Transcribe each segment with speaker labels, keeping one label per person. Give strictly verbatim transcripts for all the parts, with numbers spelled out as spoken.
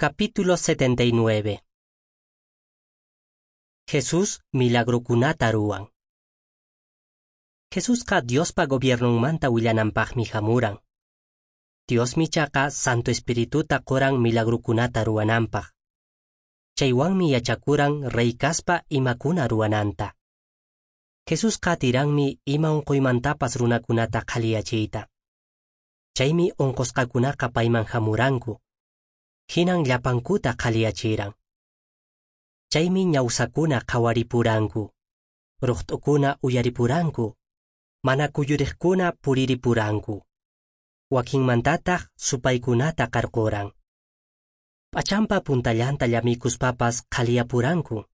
Speaker 1: Capítulo setenta y nueve. Jesús milagrokunata ruwan. Jesusqa Diospa gobiernonmanta willananpaqmi hamuran. Diosmi chaqa Santo Espirituta qoran milagrokunata ruwananpaq. Chaywanmi yachakuran rey kaspa imakuna ruwananta. Jesusqa atiranmi ima unquymantapas runakunata qhaliyachiyta. Chaymi unqusqakunaqa payman hamuranku. Hinan llapankuta qhaliyachiran. Chaymi ñawsakuna qhawaripuranku, ruqt'ukuna uyaripuranku, mana kuyuriqkuna puriripuranku. Wakinmantataq supaykunata qarquran. P'achanpa puntallanta llamikuspapas qhaliyapuranku.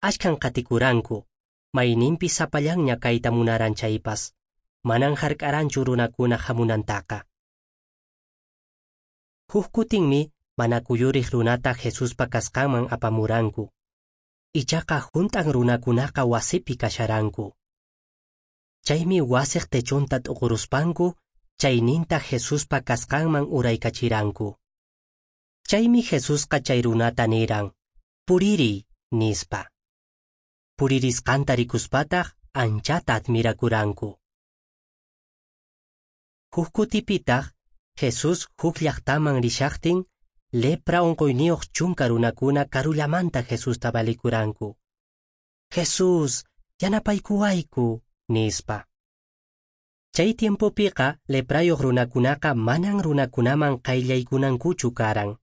Speaker 1: Ashkan qatikuranku, mayninpi sapallanña kayta munaran chaypas, manan hark'aranchu runakuna hamunantaqa. Huk kutinmi mana kuyuriq runata Jesuspa kasqanman apamuranku. Ichaqa hunt'an runakunaqa wasipi kasharanku. Chaymi wasiq techunta t'uquruspanku, chayninta Jesuspa kasqanman uraykachiranku. Chaymi Jesusqa chay runata niran, puririy, nispa. Puririsqanta rikuspataq anchata admirakuranku. Huk kutipitaq Jesús huk llaqtaman rishaqtin, lepra unquyniyuq chunka runakuna karullamanta Jesusta valikuranku. Jesús, yanapaykuwayku, nispa. Chay tiempopiqa leprayuq runakunaqa manan runakunaman qayllaykunankuchu karan.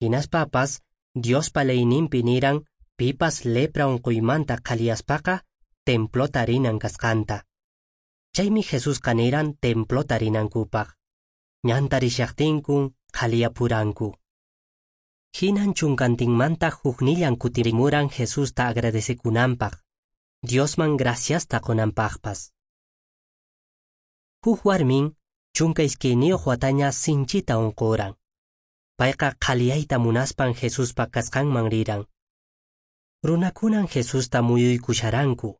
Speaker 1: Hinaspapas Diospa leyninpi niran pipas lepra unquymanta qhaliyaspaqa templota rinan kasqanta. Chaymi Jesusqa niran templota rinankupaq. Ñanta rishaqtinkun qhaliyapuranku. Hinan chunkantinmanta huknillan kutirimuran Jesusta agradecekunanpaq, Diosman graciasta qunanpaqpas. Huk warmin chunka iskayniyuq wataña sinchita unquran. Payqa qhaliyayta munaspan Jesuspa kasqanman riran. Runakunan Jesusta muyuykusharanku.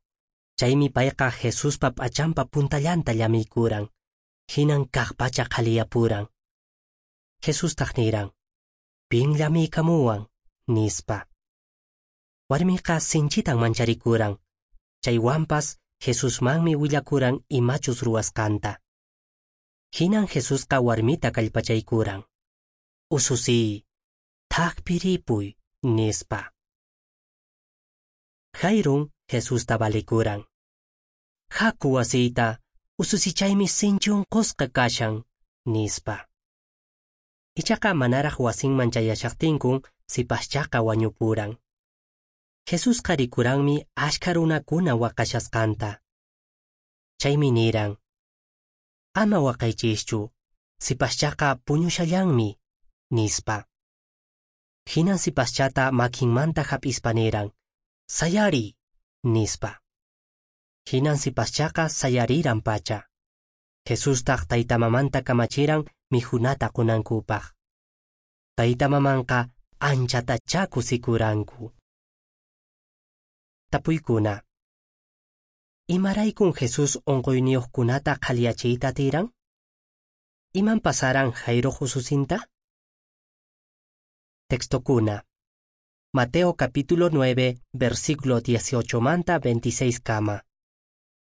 Speaker 1: Chaymi payqa Jesuspa p'achanpa puntallanta llamiykuran. Hinan kaqpacha qhaliyapuran. Jesustaq niran, pin llamiykamuwan, nispa. Warmiqa sinchitan mancharikuran. Chaywanpas Jesusmanmi willakuran imachus ruwasqanta. Hinan Jesusqa warmita kallpachaykuran. Ususiy, thakpi ripuy, nispa. Jairun Jesusta valikuran. Haku wasiyta, ususichaymi sinchi unqusqa kashan, nispa. Ichaqa manaraq wasinman chayashaqtinkun sipaschaqa wañupuran. Jesusqa rikuranmi ashka runakuna waqashasqanta. Chaymi niran, ama waqaychischu, sipaschaqa puñushallanmi, nispa. Hinan sipaschata makinmanta hap'ispa niran, sayariy, nispa. Hinan sipaschaqa sayariran pacha. Jesustaq taytamamanta kamachiran mikhunata qunankupaq. Taytamamanqa anchatachá kusikuranku. Tapuykuna. Imaraykun Jesús unquyniyuqkunata qhaliyachiyta atiran? Iman pasaran Jairoq ususinta? Textokuna. Mateo capítulo nueve, versículo dieciocho manta veintiséis kama.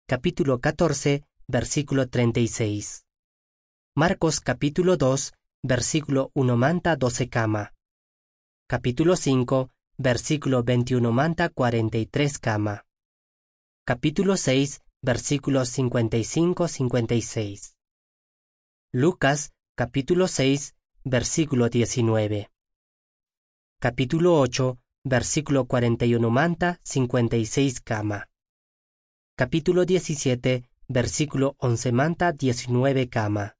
Speaker 1: Capítulo catorce, versículo treinta y seis. Marcos capítulo dos, versículo uno manta doce kama. Capítulo cinco, versículo veintiuno manta cuarenta y tres kama. Capítulo seis, versículos cincuenta y cinco cincuenta y seis. Lucas capítulo seis, versículo diecinueve. Capítulo ocho, versículo cuarenta y uno manta cincuenta y seis kama. Capítulo diecisiete, versículo once manta diecinueve kama.